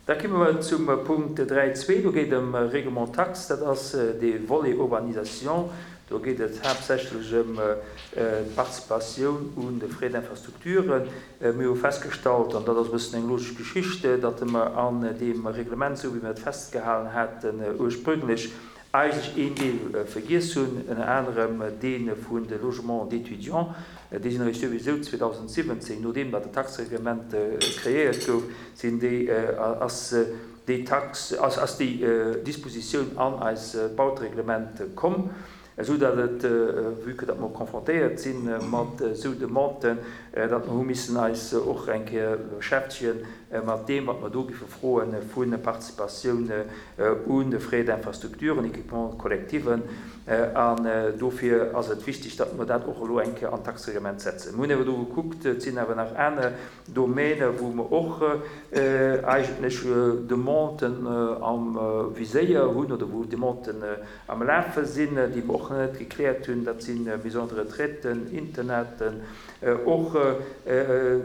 Da komme mer zum Punkt 3.2. Do geet et ëm Règlement taxe. Dat ass dee Volet Urbanisation. Do geet et haaptsächlech ëm d'Participatioun un de Frais d'infrastructure. Mir hu festgestallt, an dat ass e bëssen eng logesch Geschicht, datt mer an deem Reglement, esou wéi mer et festgehalen haten ursprünglech, eigentlech een Deel vergiess hunn, ënner anerem dee vun de Logements d'étudiants. Déi sinn eréischt souwisou 2017, nodeem datt de Taxereglement kreéiert gouf, sinn déi, ass déi Tax, ass déi Dispositioun an eis Bautereglement komm, esou datt et, vue que datt mer confrontéiert si mat esou Demanden, datt mer hu missen eis och eng Kéier beschäftegen mat deem, wat mer do giffe froe vu Participatioun un de Frais d'infrastructure, un équipements collectiven. An dofir ass et wichtig, datt mer dat och elo eng Kéier an d'Taxereglement setzen. Mir hunn awer do gekuckt, et sinn awer nach aner Domäne wou mer och eigentlech Demanden am Viséier hunn oder wou Demanden am Lafe sinn, déi mer och nach net gekläert hunn. Dat si Maisons de retraite, Internaten, och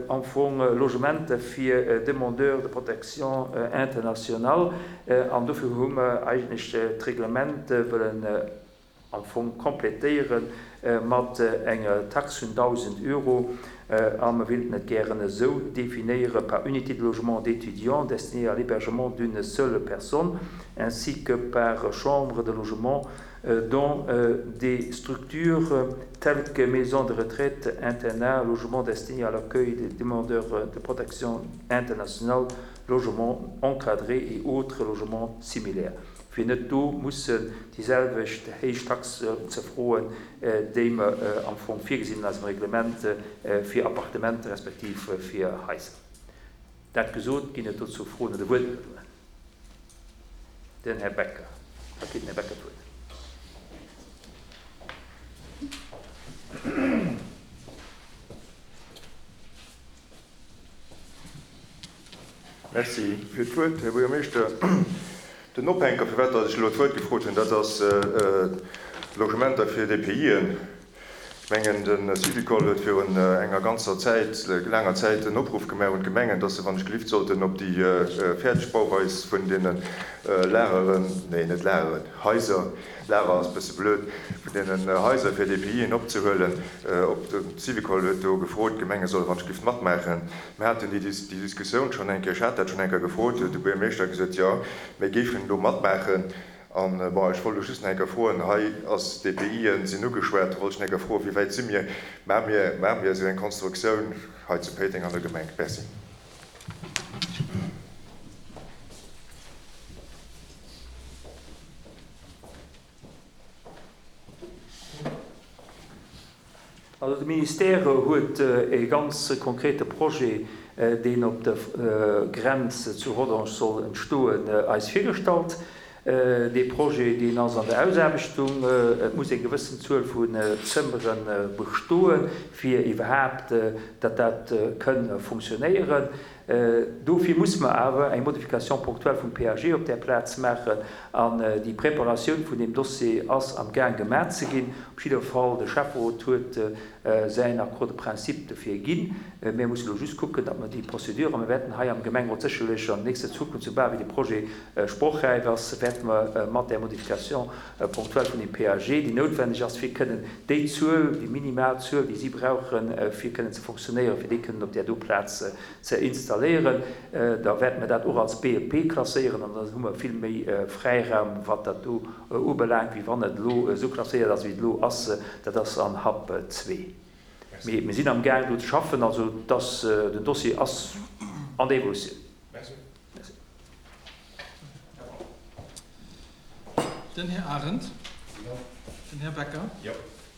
am Fong Logementer fir Demandeurs de protection internationale. An dofir hu mer eigentlech d'Reglement wëllen am Fong complétéiere mat enger Tax vun 1.000 Euro. A mer wéilten et gären esou definéiere, par unité de logement d'étudiants destinée à l'hébergement d'une seule personne ainsi que par chambre de logement dans des structures telles que maisons de retraite, internats, logements destinés à l'accueil des demandeurs de protection internationale, logements encadrés et autres logements similaires, fir net do mussen déi selwecht héich Tax ze froen, déi mer am Fong virgesinn an eisem Reglement fir Appartementer respektiv fir Haiser. Dat gesot, ginn et dozou Froen oder Wuertmeldungen? Den Här Becker. Da kritt den Här Becker d'Wuert. Merci fir d'Wuert, Här Buergermeeschter. Den Ophänker, firwat datt ech elo d'Wuert gefrot hunn, dat ass d'Logementer fir DPIen. Ech mengen, de Syvicol huet virun enger ganzer Zäit, laanger Zäit en Opruff gemaach un d'Gemengen, dass se wann ech gelift sollten op déi fäerdeg Bauweis vun deene Lageren, nee net Lageren, Haiser, Lager ass e bësse blöd, vun deenen Haiser fir DPIen opzehuelen. Op de Syvicol huet do gefrot, d'Gemenge solle wann ech gelift matmaachen. Mir haten déi Diskussioun schonn eng Kéier, ech hat dat schonn eng Kéier gefrot, huet de Buergermeeschter gesot, jo, mir géifen do matmaachen. An, bon, ech wollt elo just nach eng Kéier froen, hei ass d'DPIen sinn ugeschwat, do wollt ech nach eng Kéier froen, wéi wäit si mir? Maache mir, maache mir esou eng Konstruktioun hei zu Péiteng an der Gemeng? Merci. Also de Ministère huet e ganz konkrete Projet, deen op der Grenz zu Rodange soll entstoen, eis virgestallt. Dee Projet, deen ass an der Ausaarbechtung. Et muss eng gewëssen Zuel vun Zëmmere bestoen, fir iwwerhaapt datt dat kënn funktionéieren. Dofir musse mer awer eng Modification ponctuelle vum PAG op där Plaz maachen. An déi Preparatioun vun deem Dossier ass am Gaang gemaach ze ginn. Op jidder Fall, de Schäfferot huet säin Accord de principe dofir ginn. Mir musse elo just kucken, datt mer déi Procédure, a mir wäerten hei am Gemengerot sécherlech an nächster Zukunft, soubal wéi de Projet sprochräif ass, wäerte mer mat där Modification ponctuelle vun deem PAG, déi noutwenneg ass, fir kënnen déi Zuel, déi minimal Zuel, déi si brauchen, fir kënnen ze fonctionnéieren, fir déi kënnen op där do Plaz ze installéieren, da wäerte mer dat och als BEP klasséieren an dann hu mer vill méi Fräiraum, wat dat do ubelaangt, wéi wann et elo esou klasséiert ass, wéi et elo ass. Dat ass an Hub 2. Mee mir sinn amgaang do ze schaffen. Also dass den Dossier ass an der Evolutioun. Merci. Den Här Arendt. Jo. Den Här Becker. Jo.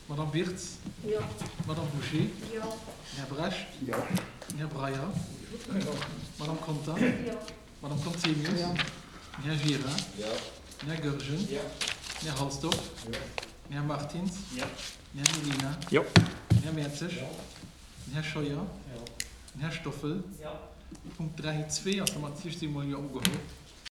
D'Madame Wirtz. Jo. D'Madame Bouché. Jo. Den Här Brecht. Jo. Den Här Breyer. Jo. D'Madame Conter. Jo. D'Madame Conzemius. Jo. Den Här Gira. Jo. Den Här Goergen. Jo. Den Här Halsdorf. Jo. Den Här Martins. Jo. Den Här Mellina. Jo. Den Här Mertzig. Jo. Den Här Scheuer. Jo. Den Här Stoffel. Jo. Punkt 3, 2 ass domat d'Sicht si mol jo ugeholl.